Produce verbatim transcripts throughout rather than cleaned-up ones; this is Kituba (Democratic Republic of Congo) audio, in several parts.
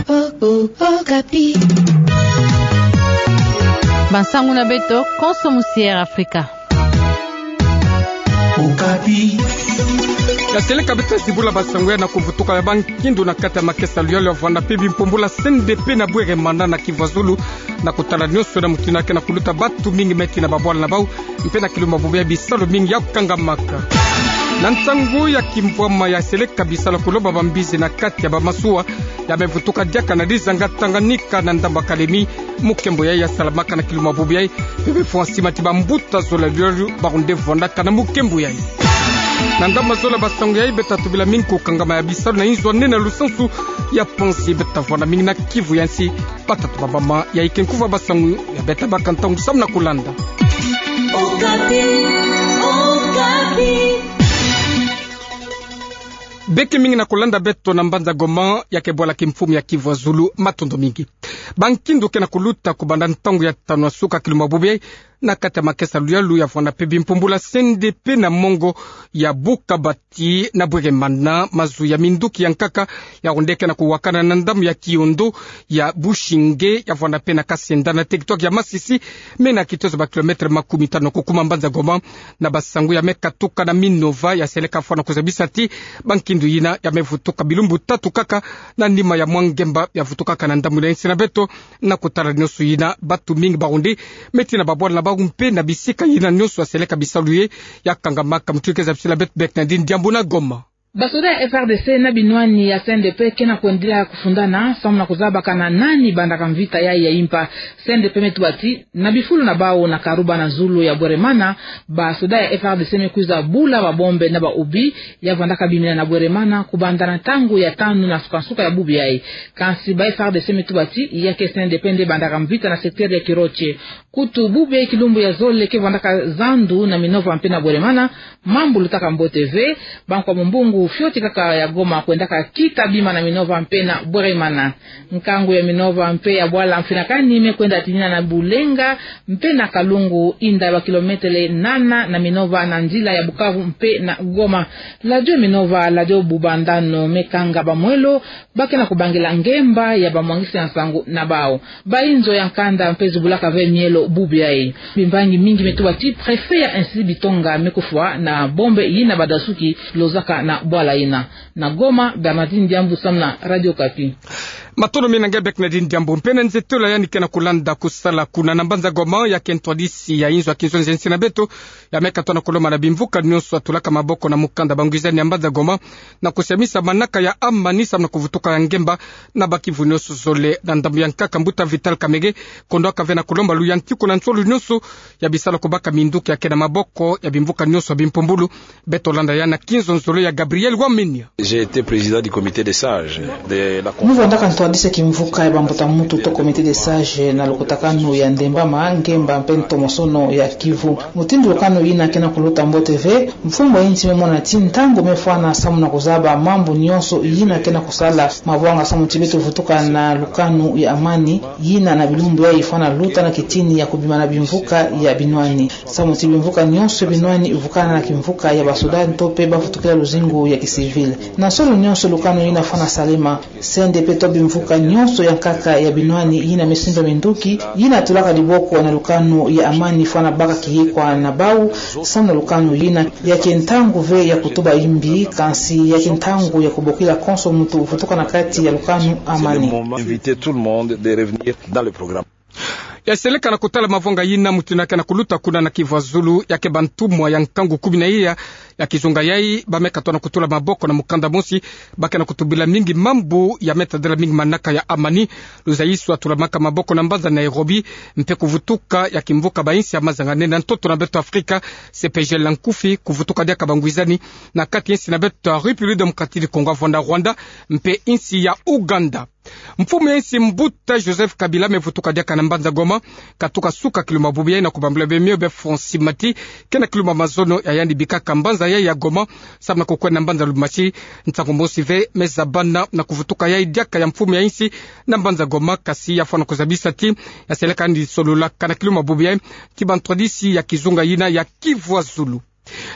Okapi. Bansangu na beto konso musi Air Afrika. Okapi. Ya seleka beto zibula bansangu ya na kuvutuka ya bankindu na kati ya makesa luyalu ya vwanda mpe bimpumbula C N D P na Bweremana na Kivu ya Zulu, na kutala nionso na mutindu ya ke na kuluta batu mingi me tina babwala na bau, mpe na kilumbu ya bubu ya bisalu mingi ya kangamaka. Na ntangu ya kimvwama ya seleka bisalu ya kulomba bambizi na kati ya bamasuwa, ya me vutuka diaka na dizanga Tanganyika na ndambu ya Kalemi, mukembo yayi ya salamaka na kilumbu ya bubu yayi, mpe befwa nsi mati bambuta zola luyalu barunde vwandaka na mukembo yayi. Na ngama zola bansangu yayi beta tubila mingi kukangama ya bisalu na inzo ya nene ya lusansu ya Panzi, beta vwanda mingi na Kivu ya nsi, bata tubabama ya ike nkuva bansangu ya beta baka ntangu samu na kulanda. Okapi, Okapi. Beke mingi na kulanda beto na mbanza Goma, ya ke bwala kimfumu ya Kivu ya Zulu, matondo mingi. Bankindu ke na kuluta kubanda ntangu ya tanu ya suka kilumbu ya bubu yayi, na kati ya makesa luyalu ya vwanda mpe bimpumbula C N D P na mongo ya Bukabati na Bweremana, mazu ya minduki ya nkaka ya runde ke na kuwakana na ndambu ya Kiondo, ya Bushinge, ya vwanda mpe na Kasenda na territoire ya Masisi, me na kitozo ba kilomètre makumi tanu kukuma mbanza Goma. Na bansangu ya me katuka na Minova, ya seleka fwana kuzabisa ti bankindu yina ya me vutuka bilumbu tatu kaka na nima ya mwa ngemba ya vutukaka na ndambu na insi na beto. Na kutala nionso yina, batu mingi barundi me tina babwala na bau mpe na bisika yina nionso ya seleka bisalu ye ya kangamaka. Mutindu ke zabisila beto Bernardine Diambu na Goma. Basoda ya F R D C na binwani ya C N D P ke na kwendila kufundana samu na kuzabakana nani bandaka mvita yayi ya impa. C N D P me tuba ti na bifulu na bau na Karuba na zulu ya Bweremana, basoda ya F R D C me kwiza bula babombe na baobi ya vwandaka bimina na Bweremana kubanda na ntangu ya tanu na nsukansuka ya bubu yayi. Kansi ba F R D C me tuba ti ya ke C N D P nde bandaka mvita na secteur ya Kiroche. Kutu bubu yayi kilumbu ya zole ke vwandaka zandu na Minova mpe na Bweremana, mambu lutaka mbote ve. Bankwa mumbungu fioti kaka ya Goma kwendaka kita bima na Minova mpe na Bweremana. Nkangu ya Minova mpe ya bwala mfinakani me kwenda tinina na Bulenga mpe na Kalungu, inda ba kilometele nana na Minova na nzila ya Bukavu mpe na Goma. Ladio Minova, ladio Bubandano me kanga bamwelo ba ke na kubangila ngemba ya bamwangisi ya nsangu na bau. Ba inzo ya nkanda mpe zibulaka ve mielo bubu yayi. Bimbangi mingi me tuba ti préfet ya Institut Bitonga me kufwa na bombe yina badasuki lozaka na bwala yina. Na Goma, Bernardine Diambu samu na Radio Okapi. Matondo mingi na nge Bernardine Diambu. Mpe na nzitolo ya yandi ke na kulanda kusala kuna na mbanza Goma, ya ke ntwadisi ya inzo ya kinzonzi ya insi na beto, ya me katoa na kulomba na bimvuka nionso ya tulaka maboko na mukanda bangwizani ya mbanza Goma, na kusiamisa manaka ya amani samu na kuvutuka ya ngemba na bakivu nionso zole. Na ndambu ya nkaka, mbuta Vital Kamerhe kondwaka ve na kulomba luyantiku na nsolo nionso ya bisalu kubaka minduki ya ke na maboko ya bimvuka nionso ya bimpumbulu. Beto landa ya na kinzonzolo ya Gabriel Wamenia. J'ai été président du comité des sages de la Mu vwandaka ntwadisi ya kimvuka ya bambuta muntu to comité des sages na lukutakanu ya Ndembama, Ngemba mpe Ntomosono ya Kivu. Mutindu lukanu yina ke na kuluta mbote ve, mfumu ya insi me mona ti ntangu me fwana samu na kuzaba mambu nionso yina ke na kusala mabwanga samu ti beto vutuka na lukanu ya amani, yina na bilumbu yayi fwana luta na kitini ya kubima na bimvuka ya binwani. Samu ti bimvuka nionso ya binwani vukana na kimvuka ya basoda nto mpe bavutukila luzingu ya kisivile. Na nsolo nionso lukanu yina fwana salama. C N D P to bimvuka nionso ya nkaka ya binwani yina me simba minduki, yina tulaka diboko na lukanu ya amani fwana baka kiyekwa na bau, samu na lukanu yina ya ke ntangu ve ya kutuba imbi, kansi ya ke ntangu ya kubokila konso muntu vutuka na kati ya lukanu amani. Inviter tout le monde de revenir dans le programme. Ya seleka na kutala mavwanga yina mutindu ya ke na kuluta kuna na Kivu ya Zulu, ya ke bantumwa ya nkangu kumi na iya ya kizunga yayi, ba me katoa na kutula maboko na mukanda mosi, ba ke na kutubila mingi mambu ya me tadila mingi manaka ya amani. Luzayiswa tulamaka maboko na mbanza Nairobi, mpe kuvutuka ya kimvuka ba insi ya mazanganene na ntoto na beto Afrika, C P G L na nkufi, kuvutuka diaka bangwizani na kati ya insi na beto République Démocratique du Congo, vwanda Rwanda, mpe insi ya Ouganda. Mfumu ya insi mbuta Joseph Kabila me vutuka diaka na mbanza Goma, katuka suka kilumbu ya bubu yayi na kubambula bemio be Francis Mati, ke na kilumbu ya mazono ya yandi bikaka mbanza yayi ya Goma, samu na kukwenda mbanza Lubumbashi. Ntangu mosi ve me zabana na kuvutuka yayi diaka ya mfumu ya insi na mbanza Goma, kasi ya fwana kuzabisa ti ya seleka yandi sololaka na kilumbu ya bubu yayi ti bantwadisi ya kizunga yina ya Kivu ya Zulu.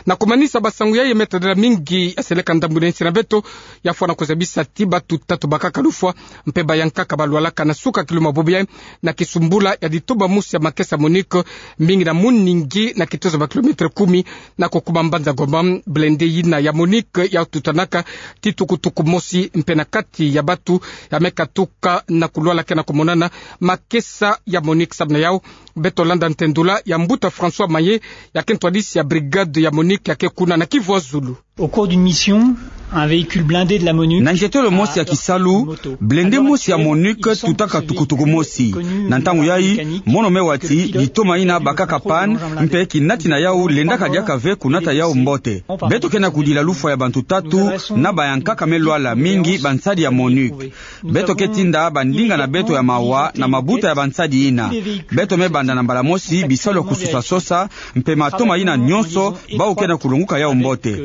Na kumanisa basangu yayi, me tadila mingi ya seleka ndambu na insi na beto, ya fwana kuzabisa ti batu tatu bakaka lufwa, mpe bayankaka balwalaka na suka kilu mabobi yayi, na kisumbula ya ditoba mosi ya makesa MONUC, mingi na muningi na kitozo ba kilomètre kumi, na kokuma mbanza Goma, blindé yina ya MONUC ya tutanaka ti tukutuku mosi, mpe na kati ya batu ya me katuka na kulwala ke na kumonana makesa ya MONUC. Samu na yawu, beto landa ntendula ya mbuta François Maye, ya ke ntwadisi ya brigade ya MONUC ya ke kuna na Kivu ya Zulu. Au cours d'une mission, un véhicule blindé de la MONUC. Na nzietolo mosi ya kisalu, blindé mosi ya MONUC tutaka tukutuku mosi. Na ntangu yayi, mono me wa ti litoma yina bakaka panne, mpe kinati na yawu lendaka diaka ve kunata yawu mbote. Beto ke na kudila lufwa ya bantu tatu, na bayankaka me lwala, mingi bansadi ya MONUC. Beto ke tinda bandinga na beto ya mawa na mabuta ya bansadi yina. Beto me banda na mbala mosi bisalu ya kusosa-sosa, mpe matoma yina nyonso, bawu ke na kulonguka yawu mbote.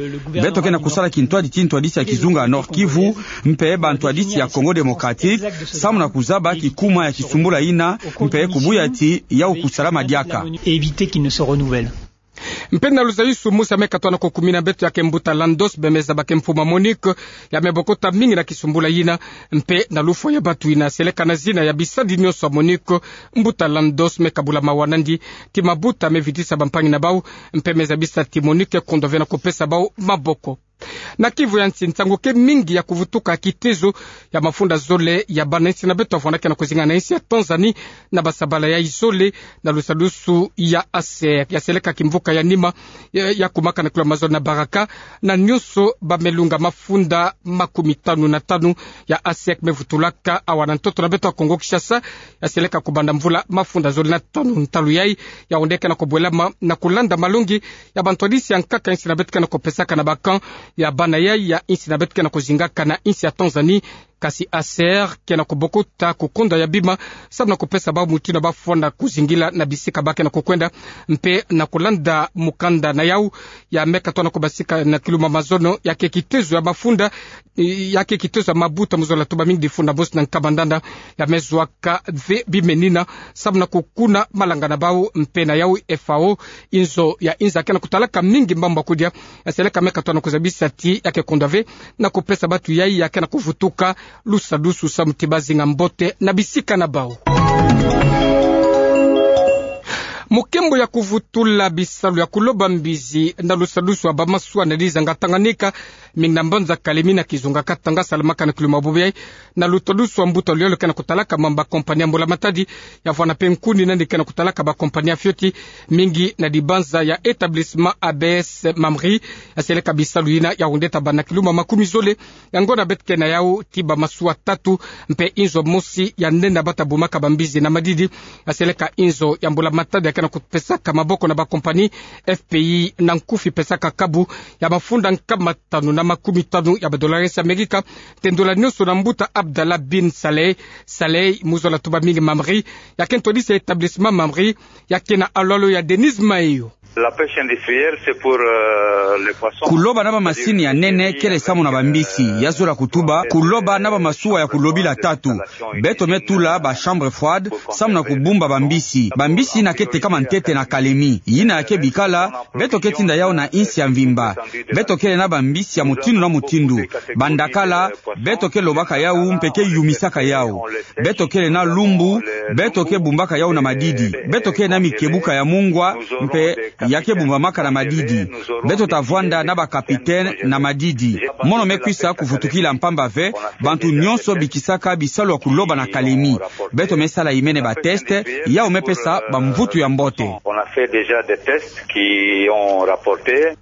Beto ke na kusala kintwadi ti ntwadisi ya kizunga ya Nord-Kivu, mpe bantwadisi ya Congo Démocratique, samu na kuzaba kikuma ya kisumbula yina, mpe kubuya ti yawu kusalama diaka. Éviter qu'il ne se renouvelle. Mpe na luzayusu mosi ya me katoa na kokumina beto ya ke mbuta Landos, bemeza ba ke mfumu ya MONUC, ya me bokota mingi na kisumbula yina, mpe na lufwa ya batu yina seleka na zina ya bisadi nyonso ya MONUC, mbuta Landos me kabula mawa nandi ti mabuta me vitisa bampangi na bawu, mpe me zabisa ti MONUC ke kondwa ve na kupesa bawu maboko. Na Kivu ya nsi, nsangu ke mingi ya kuvutuka kitezo ya mafunda zole ya bana insi na beto ya vwanda ke na kuzinga na insi ya Tanzanie na basabala yayi zole na lusadusu ya ACER, ya seleka kimvuka ya nima, ya, ya kumaka na kilu ya mazono na Baraka, na nyonso ba me lunga mafunda makumi tanu na tanu ya ACER me vutulaka awa na ntoto na beto ya Kongo Kinshasa, ya seleka kubanda mvula mafunda zole na tanu. Ntalu yayi ya onde ke na kubwelama na kulanda malongi ya bantwadisi ya nkaka insi na beto ke na kupesaka na ba camp ya bana yayi ya insi na beto ke na kuzingaka na insi ya Tanzanie. Kasi ACER ke na kubokota kukonda ya bima, samu na kupesa bawu mutindu ba fwana kuzingila na bisika ba ke na kukwenda, mpe na kulanda mukanda na yawu ya me katoa na kubasika na kilu ya mazono, ya ke kitezo ya mafunda, ya ke kitezo ya mabuta mu zola tuba mingi difunda mosi na nkama ndanda, ya me zwa ka ve bima yina, samu na kukuna malanga na bawu. Mpe na yawu FAO, inzo ya inza ke na kutalaka mingi mbamba kudia, ya seleka me katoa na kuzabisa ti ya ke kondwa ve na kupesa batu yayi ya ke na kuvutuka lusadusu samu ti ba zinga mbote na bisika na bawu. Mu kembo ya kuvutula bisalu ya kuloba mbizi na lusadusu ya ba masuwa na dizanga Tanganyika, mingi na mbanza Kalemi na kizunga Katanga salamaka na kilu ya mabobi yayi, na lusadusu ya mbuta Luyalo ke na kutalaka mambu ya kompani ya mbula matadi, ya vwanda mpe nkuni nandi ke na kutalaka ba kompani ya fioti, mingi na dibanza ya établissement ABS Mamri, ya seleka bisalu yina ya onde ta bâ na kilumbu makumi zole, ya ngonda beto ke na yawu ti ba masuwa tatu, mpe inzo mosi ya nene ba ta bumaka ba mbizi na madidi, ya seleka inzo ya mbula matadi ya ke na kupesaka maboko na ba kompani FPI na nkufi pesaka kabu ya mafunda nkama tanu na makumi tanu ya ba dollars ya Amerika, tendula nyonso na mbuta Abdallah bin Saleh, Saleh, mu zola tuba mingi Mamri, ya ke ntwadisi ya établissement Mamri, ya ke na alwalo ya Denise Mayo. La pêche industrielle, c'est pour, euh, les poissons. Kuloba na ba masini ya nene kele samu na ba mbisi, ya zola kutuba kuloba na ba masuwa ya kulobila tatu. Beto me tula ba chambre froide samu na kubumba ba mbisi. Ba mbisi yina ke tekama ntete na Kalemi. Yina ya ke bikala, beto ke tinda yawu na insi ya mvimba. Beto kele na ba mbisi ya mutindu na mutindu. Ba ndakala, beto ke lobaka yawu mpe ke yumisaka yawu. Beto kele na lumbu, beto ke bumbaka yawu na madidi. Beto kele na mikebuka ya mungwa, mpe ya ke bumbamaka na madidi. Beto ta vwanda na ba capitaine na madidi. Mono me kwisa kuvutukila mpamba ve, bantu nyonso bikisaka bisalu ya kuloba na Kalemi. Beto me sala imene ba test, yawu me pesa ba mvutu ya mbote. On a fait déjà des tests qui ont rapporté.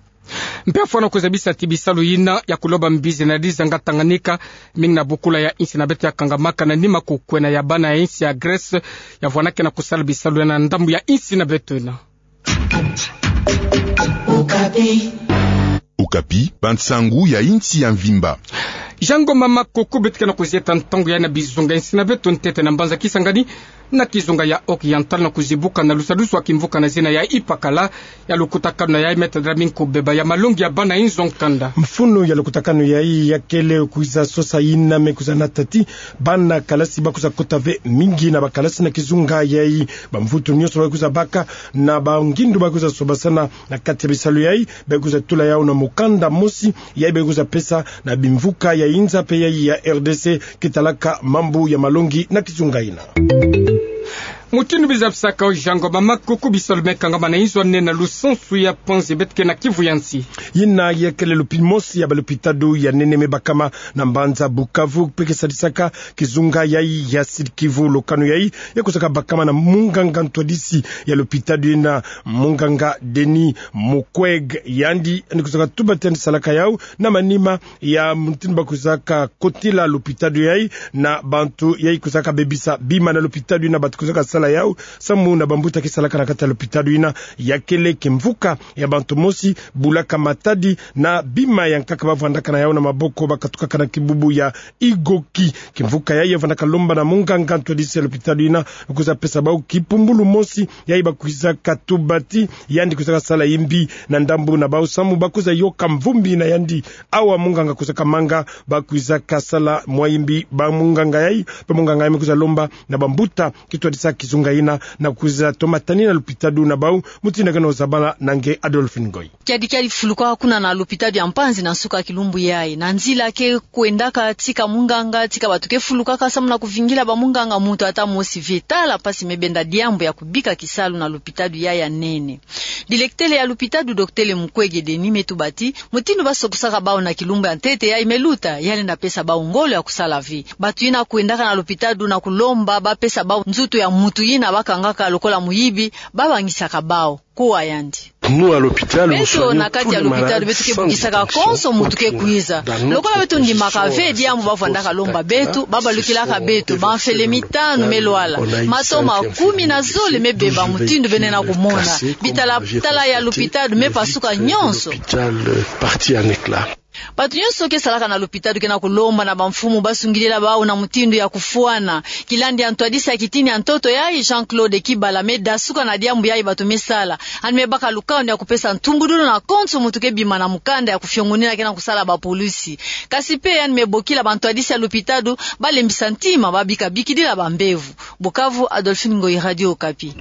Mpe ya fwana kuzabisa ti bisalu yina ya kuloba mbizi na dizanga Tanganyika, mingi na bokula ya insi na beto ya kangamaka na nima kukwena ya bana ya insi ya Grèce, ya vwanda ke na kusala bisalu yina na ndambu ya insi na beto yina. Okapi. Okapi, bansangu ya insi ya mvimba. Jean Ngoma Makuku. Beto ke na kuzieta ntangu yayi na bizunga nsina beto ntete na mbanza Kisangani, na kizunga ya Oriental, na kuzibuka na lusadusu wa kimvuka na zina ya Ipakala. Ya lukutakanu yayi me tadra minko beba ya malongi ya bana inzo nkanda. Mfunu ya lukutakanu yayi ya kele kwiza sosa yina me kwiza nata ti bana kalasi ba kwiza kota ve mingi na bakalasi na kizunga yayi. Bamvutu nyonso ba kwiza baka na bangindu ba kwiza sobasana na kati ya bisalu yayi, ba kwiza tula yawu na mukanda mosi yayi ba kwiza pesa na bimvuka ya inza pe yayi ya R D C ke talaka mambu ya malongi na kizunga yina. Mutindu biza bisaka, Jean Ngoma Makuku, bisalu me kangama na inzo ya nene na lusansu ya Panzi, beto ke na Kivu ya nsi. Yina ya kele lupi mosi ya balupitadu ya nene me bakama na mbanza Bukavu, pe ke sadisaka kizunga yayi ya Sud-Kivu. Lukanu yayi ya kwizaka bakama na munganga ntwadisi ya lupitadu yina, munganga Denis Mukwege. Yandi, yandi kwizaka tuba ti yandi salaka yawu na manima ya mutindu ba kwizaka kotila lupitadu yayi na bantu yayi kwizaka bebisa bima na lupitadu yina, bantu kwizaka sala yawu samu na bambuta ke salaka na kati ya lupitadu yina. Ya kele kimvuka ya bantu mosi bulaka matadi na bima ya nkaka ba vwandaka na yawu na maboko, ba katukaka na kibubu ya Igoki. Kimvuka yayi ya vwandaka lomba na munganga ntwadisi ya lupitadu yina kwiza pesa bawu kipumbulu mosi yayi ba kwizaka tuba ti yandi kwizaka sala yimbi na ndambu na bawu samu ba kwiza yoka mvumbi na yandi. Awa munganga kwizaka manga ba kwizaka sala mwa yimbi. Bamunganga yayi, bamunganga yayi me kwiza lomba na bambuta ke twadisa kizunga yina na kwiza toma tani na lupitadu na bawu. Mutindu ke na ozabala na nge Adolphine Ngoyi. Kiadi kiadi fuluka kuna na lupitadu ya Mpanzi na nsuka ya kilumbu yayi. Na nzila ke kwendaka tika munganga, tika bantu ke fulukaka samu na kuvingila bamunganga, muntu ata mosi ve. Tala mpasi me benda diambu ya kubika kisalu na lupitadu yayi ya nene. Dilektele ya lupitadu, doktele Mukwege Denis, me tuba ti mutindu ba sokusaka bawu na kilumbu ya ntete yayi me luta, ya lenda pesa bawu ngolo ya kusala ve. Bantu yina kwendaka na lupitadu na kulomba ba pesa bawu nzutu ya muntu yina ba kangaka lokola muyibi, ba bangisaka bawu. Kuwa yandi. Beto na kati ya lupitadu beto ke bukisaka konso muntu ke kwiza. Lokola beto ndimaka ve diambu ba vwandaka lomba beto, ba balukilaka beto, bamfele mitanu me lwala, mato ma kumi na zole me beba, mutindu beno na kumona. Bitala tala ya lupitadu me pasuka nyonso. Bantu nyonso ke salaka na lupitadu ke na kulomba na bamfumu ba sungidila bawu na mutindu ya kufwana. Kilandi ya ntwadisi ya kitini ya ntoto yayi, Jean-Claude Kibala, me dasuka na diambu yayi bantu me sala. Yandi me baka lukanu ya kupesa ntumbudulu na konso muntu ke bima na mukanda ya kufiongonina ke na kusala bapolisi. Kasi pe yandi me bokila bantwadisi ya lupitadu ba lembisa ntima, ba bika bikidila bambevo. Bukavu, Adolphine Ngoyi, Radio Okapi.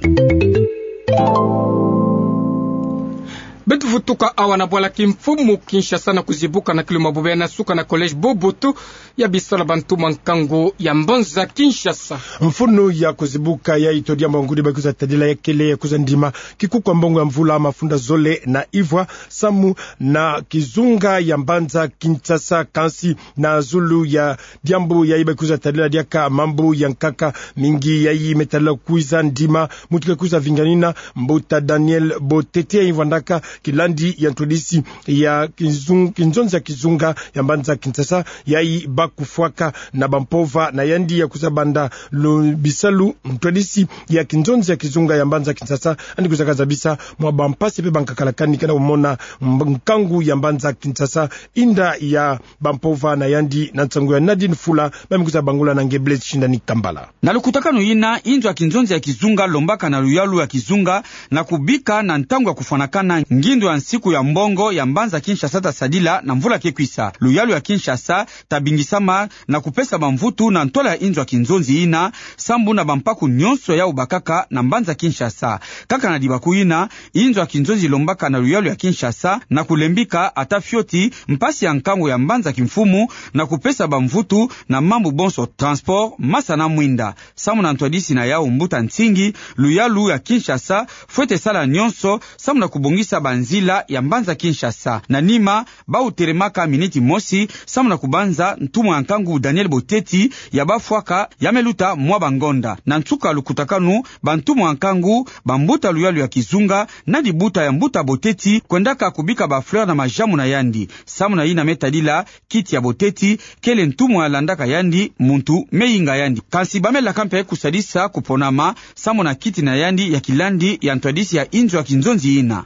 Beto vutuka awa na bwala kimfumu Kinshasa na kuzibuka na kilo mabobe ya nasuka na collège Boboto ya bisalu ya bantumwa nkangu ya mbanza Kinshasa. Mfunu ya kuzibuka yayi, to diambu ngudi ba kwiza tadila ya kele ya kwiza ndima kikuku ya mbongo ya mvula mafunda zole na ivwa samu na kizunga ya mbanza Kinshasa, kansi na zulu ya diambu yayi ba kwiza tadila diaka mambu ya nkaka mingi yayi me tadila kwiza ndima. Muntu ke kwiza vinganina, mbuta Daniel Botete, yayi vwandaka kilandi ya ntwadisi ya kizung-, kinzonzi ya kizunga ya mbanza Kinshasa, yayi ba kufwaka na bampova na yandi ya kwiza banda lu bisalu ntwadisi ya kinzonzi ya kizunga ya mbanza Kinshasa. Yandi kwizaka zabisa mwa bampasi pe bankakalakani ke na kumona mb-, nkangu ya mbanza Kinshasa, inda ya bampova na yandi. Na nsangu ya Nadine Fula, ba me kwiza bangula na nge Blaise Shindani Kambala. Na lukutakanu yina, inzo ya kinzonzi ya kizunga lombaka na luyalu ya kizunga na kubika na ntangu ya kufwanakana ngindu ya nsiku ya mbongo ya mbanza Kinshasa ta sadila na mvula ke kwisa. Luyalu ya Kinshasa ta bingisama na kupesa bamvutu na ntwala ya inzo ya kinzonzi yina, sambu na bampaku nyonso yawu bakaka na mbanza Kinshasa. Kaka na dibaku yina, inzo ya kinzonzi lombaka na luyalu ya Kinshasa na kulembika ata fioti mpasi ya nkangu ya mbanza kimfumu na kupesa bamvutu na mambu bonso transport, masa na mwinda. Samu na ntwadisi na yawu mbuta Nsingi, luyalu ya Kinshasa fwete sala nyonso samu na kubongisa banzila ya mbanza Kinshasa. Na nima, bawu telemaka miniti mosi samu na kubanza ntumwa ya nkangu Daniel Boteti ya bafwaka ya me luta mwa bangonda. Na nsuka lukutakanu, bantumwa ya nkangu, bambuta luyalu ya kizunga na dibuta ya mbuta Boteti kwendaka kubika bafleur na majamu na yandi. Samu na yina me tadila, kiti ya Boteti kele ntumwa ya landaka yandi, muntu me yinga yandi. Kansi ba me laka mpe kusadisa kuponama samu na kiti na yandi ya kilandi ya ntwadisi ya inzo ya kinzonzi yina.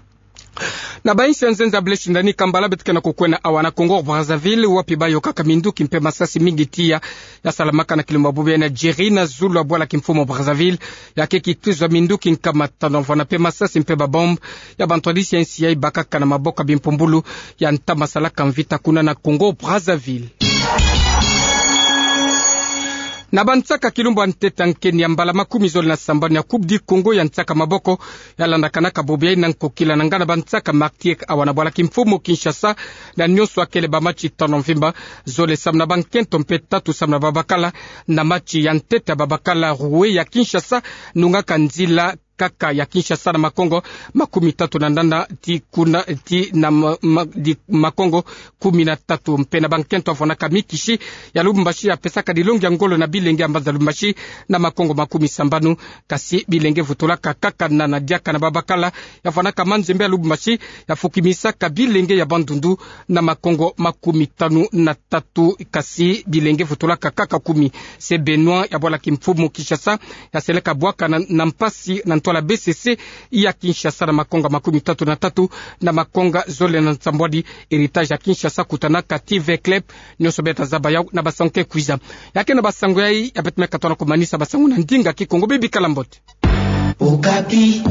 Na bainsi ya nzenza Blaise Ndani, kambala beto ke na kukwena awa na Congo Brazzaville, wapi bayôkaka minduki mpe masasi mingi tiya ya salamaka na kilumbu ya bobobi na Algérie na zulu ya bwala kimfumu Brazzaville, ya ke kituza minduki nkama tanu, vana mpe masasi mpe babombe ya bantwadisi ya nsi yayi bakaka na maboko ya bimpumbulu ya ntama salaka mvita kuna na Congo Brazzaville. Na bansaka kilumbu ya ntete ya nkeni ya mbala makumi zole na sambanu ya Coupe du Congo ya nsaka maboko, ya landakanaka bobo yayi na nkokila na ngana bansaka Martyrs awa na bwala kimfumu Kinshasa, na nyonso akele bamatch tanu mvimba, zole samu na bankento mpe tatu samu na babakala, na match ya ntete ya babakala Rouet ya Kinshasa, nungaka nzila kaka ya Kinshasa na makongo makumi tatu na nana ti kuna ti na ma-, ma-, di makongo kumi na tatu. Mpe na bankento ya vwanaka Mikishi ya Lubumbashi ya pesaka dilongi ya ngolo na bilenge ya mbanza Lubumbashi na makongo makumi sambanu, kasi bilenge vutulaka kaka nana diaka na babakala ya vwanaka Manzembe ya Lubumbashi ya fukimisaka bilenge ya Bandundu na makongo makumi tanu na tatu, kasi bilenge vutulaka kaka kumi. Se Benoît ya bwala kimfumu Kinshasa ya seleka bwaka na, na mpasi na ntwala B C C ya Kinshasa na makongo makumi tatu na tatu na makongo zole na nsambwadi. Héritage ya Kinshasa kutanaka Tivert Club, nyonso beta zaba yawu na basango ke kwiza. Ya ke na basango yayi ya beto me katono kumanisa basango na ndinga Kikongo, bibikala mbote. Okapi.